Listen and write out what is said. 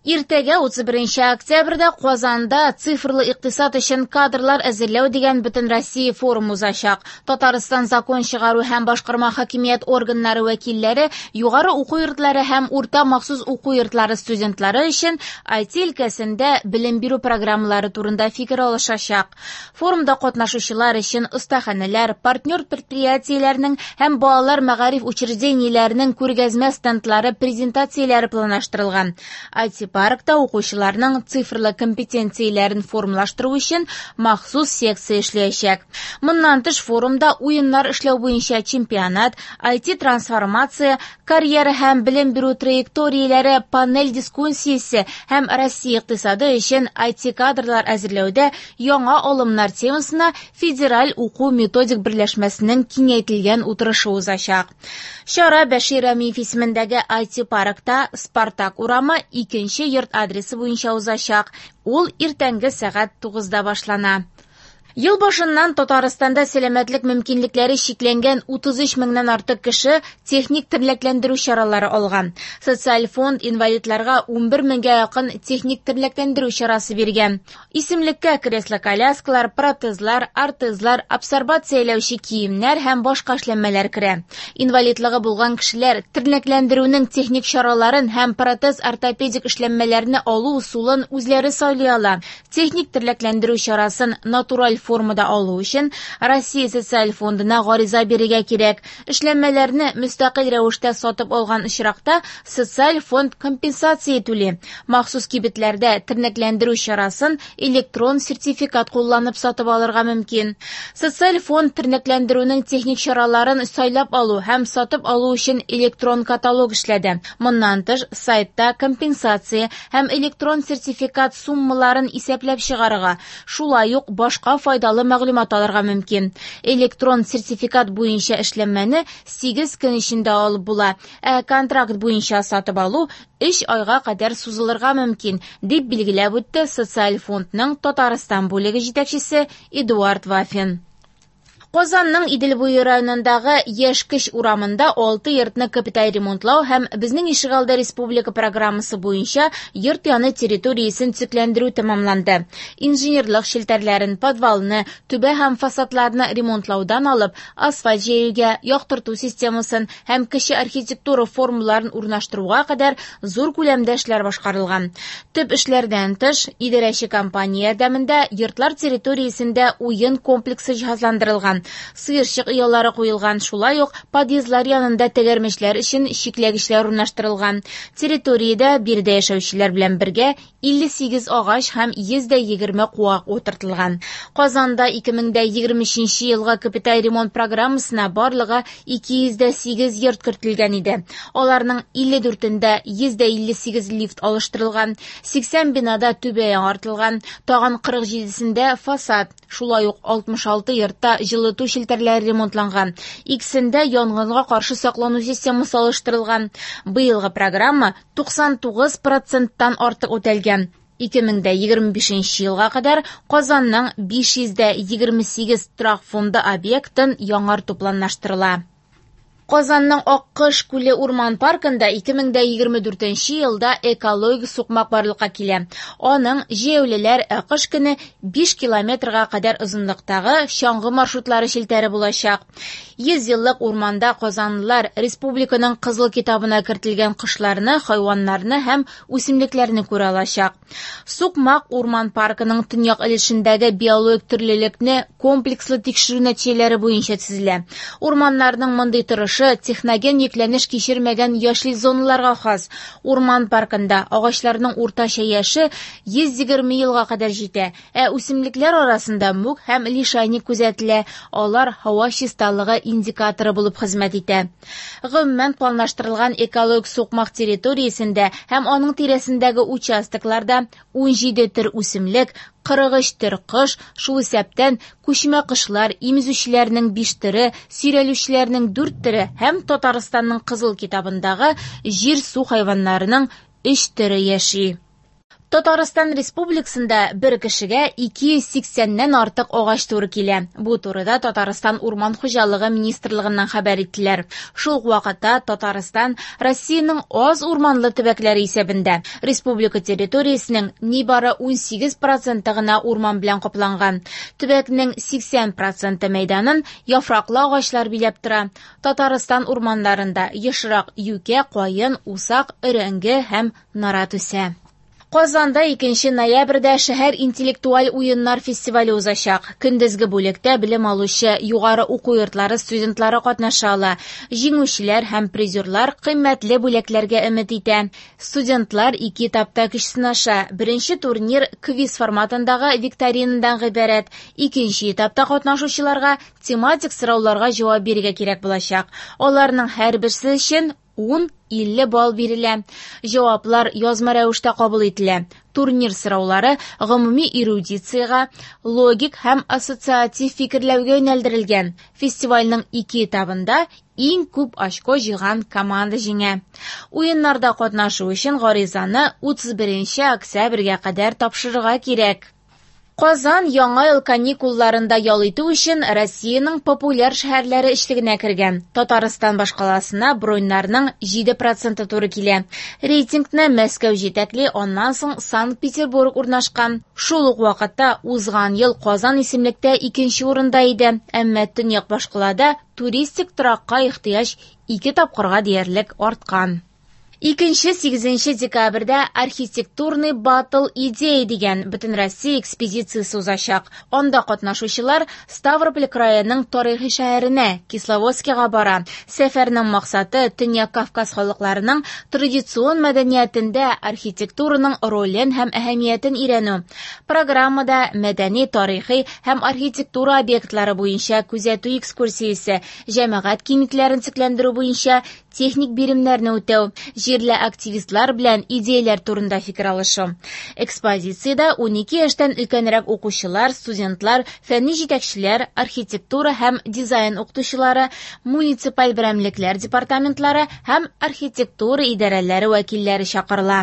Иртәгә 31 октябрьдә Казанда «Цифрлы икътисад өчен кадрлар әзерләү» дигән Бөтенроссия форум узачак. Татарстан закон чыгару һәм башкарма хакимият органнары вәкилләре, югары уку йортлары һәм урта махсус уку йортлары студентлары өчен IT өлкәсендә белем бирү программалары турында фикер алышачак. Форумда катнашучылар өчен остаханәләр, партнер предприятиеләрнең һәм балалар мәгариф учреждениеләренең күргәзмә стендлары, презентацияләре планлаштырылган. IT-паркта укучыларның цифрлы компетенцияләрен формалаштыру өчен махсус секция эшләячәк. Моннан тыш форумда уеннар эшләү буенча чемпионат, IT-трансформация, карьера һәм белем бирү траекторияләре панель дискуссиясе һәм Россия икътисады өчен IT-кадрлар әзерләүдә яңа алымнар темасына федераль уку методик берләшмәсенең киңәйтелгән утырышы узачак. Чара Бәшир Рәмиев исемендәге IT-паркта Спартак урамы 2 йорт адресы буенча узачак. Ул иртәнге сәгать 9-да башлана. Ел башыннан Татарстанда сәламәтлек мөмкинлекләре чикләнгән 33 меңнән артык кеше техник тернәкләндерү чаралары алган. Социаль фонд инвалидларга 11 меңгә якын техник тернәкләндерү чарасы биргән. Исемлеккә кресло-коляскалар, протезлар, ортезлар, абсорбацияләүче киемнәр һәм башка эшләнмәләр керә. Инвалидлыгы булган кешеләр тернәкләндерүнең техник чараларын һәм протез-ортопедик эшләнмәләрне алу ысулын үзләре сайлый ала. Техник тернәкләндерү чарасын натураль формада алу өчен Россия социаль фондына гариза бирергә кирәк. Эшләнмәләрне мөстәкыйль рәвештә сатып алган очракта социаль фонд компенсация түли. Махсус кибетләрдә тернәкләндерү чарасын электрон сертификат кулланып сатып алырга мөмкин. Социаль фонд тернәкләндерүнең техник чараларын сайлап алу һәм сатып алу өчен электрон каталог эшләде. Моннан тыш, сайтта компенсация һәм электрон сертификат суммаларын исәпләп чыгарырга, шулай ук башка файдалы мәгълүмат алырга мөмкин. Электрон сертификат буенча эшләнмәне 8 көн эчендә алып була, ә контракт буенча сатып алу 3 айга кадәр сузылырга мөмкин, дип билгеләп үтте Социаль фондның Татарстан бүлеге җитәкчесе Эдуард Вафин. Казанның Идел буе районындагы Яшькеч урамында 6 йортны капиталь ремонтлау һәм Безнең ишегалды республика программасы буенча йорт яны территориясен төзекләндерү тәмамланды. Инженерлык челтәрләрен, подвалны, түбә һәм фасадларны ремонтлаудан алып, асфальт җәюгә, яктырту системасын һәм кече архитектура формаларын урнаштыруга кадәр зур күләмдә эшләр башкарылган. Төп эшләрдән тыш, идарәче компания ярдәмендә йортлар территориясендә уен комплексы җиһазландырылган. Сыерчык оялары куелган, шулай ук подъездлар янында тәгәрмәчләр өчен чикләгечләр урнаштырылган. Территориядә биредә яшәүчеләр белән бергә 58 агач һәм 120 куак утыртылган. Казанда 2023 елгы капиталь ремонт программасына барлыгы 208 йорт кертелгән иде. Аларның 54-ндә 158 лифт алыштырылган, 80 бинада түбә яңартылган, тагын 47-сендә фасад, шулай ук 66 йортта җылыту челтәрләре ремонтланган, икесендә янгынга каршы саклану системасы алыштырылган. Быелгы программа 99%-тан артык үтәлгән. 2025 елга кадәр Казанның 528 торак фонды объектын яңарту планлаштырыла. Казанның Аккош күле урман паркында 2024 елда экологик сукмак барлыкка килә. Аның җәяүлеләр кыш көне 5 километрга кадәр озынлыктагы чаңгы маршрутлары челтәре булачак. 100 еллык урманда казанлылар республиканың Кызыл китабына кертелгән кошларны, хайваннарны һәм үсемлекләрне күрә алачак. Сукмак урман паркының төньяк өлешендәге биологик төрлелекне комплекслы тикшерү нәтиҗәләре буенча төзелә. Урманнарның мондый торышы техноген йөкләнеш кичермәгән яшел зоналарга хас. Урман паркында агачларның уртача яше 120 елга кадәр җитә, ә үсемлекләр арасында мүк һәм лишайник күзәтелә. Алар һава чисталыгы индикаторы булып хезмәт итә. Гомумән планлаштырылган экологик сукмак территориясендә һәм аның тирәсендәге участокларда 17 төр үсемлек, 43 төр кош, шул исәптән күчмә кошлар, имезүчеләрнең 5 төре, сөйрәлүчеләрнең 4 төре һәм Татарстанның Кызыл китабындагы җир-су хайваннарының 3 төре яши. Татарстан Республикасында бер кешегә 280-нән артык агач туры килә. Бу турыда Татарстан Урман хуҗалыгы министрлыгыннан хәбәр иттеләр. Шул ук вакытта Татарстан Россиянең аз урманлы төбәкләре исәбендә. Республика территориясенең нибары 18 проценты гына урман белән капланган. Төбәкнең 80 проценты мәйданын яфраклы агачлар биләп тора. Татарстан урманнарында ешрак юкә, каен, усак, өрәңге һәм нарат үсә. Казанда 2 ноябрьдә шәһәр интеллектуаль уеннар фестивале узачак. Көндезге бүлектә белем алучы югары уку йортлары студентлары катнаша ала. Җиңүчеләр һәм призерлар кыйммәтле бүләкләргә өмет итә. Студентлар ике этапта көч сынаша. Беренче турнир квиз форматындагы викторинадан гыйбарәт. Икенче этапта катнашучыларга тематик сорауларга җавап бирергә кирәк булачак. Аларның һәрберсе өчен 10-50 балл бирелә. Җаваплар язма рәвештә кабул ителә. Турнир сораулары гомуми эрудициягә, логик һәм ассоциатив фикерләүгә юнәлдерелгән. Фестивальнең ике этабында иң күп очко җыйган команда җиңә. Уеннарда катнашу өчен гаризаны 31 октябрьгә кадәр тапшырырга кирәк. Казан яңа ел каникулларында ял итү өчен Россиянең популяр шәһәрләре өчлегенә кергән. Татарстан башкаласына броньнарның 7 проценты туры килә. Рейтингны Мәскәү җитәкли, аннан соң Санкт-Петербург урнашкан. Шул ук вакытта узган ел Казан исемлектә икенче урында иде. Әмма төньяк башкалада туристик торакка ихтыяҗ ике тапкырга диярлек арткан. 2-8 декабрьдә «Архитектурный баттл идеи» дигән Бөтенроссия экспедициясе узачак. Анда катнашучылар Ставрополь краеның тарихи шәһәренә, Кисловодскига бара. Сәфәрнең максаты Төньяк Кавказ халыкларының традицион мәдәниятендә архитектураның ролен һәм әһәмиятен өйрәнү. Программада мәдәни, тарихи һәм архитектура объектлары буенча күзәтү экскурсиясе, җәмәгать киңлекләрен төзекләндерү буенча техник биремнәрне үтәү, җирле активистлар белән идеяләр турында фикер алышу. Экспозициядә 12 яшьтән өлкәнрәк укучылар, студентлар, фәнни җитәкчеләр, архитектура һәм дизайн укытучылары, муниципаль берәмлекләр департаментлары һәм архитектура идарәләре вәкилләре чакырыла.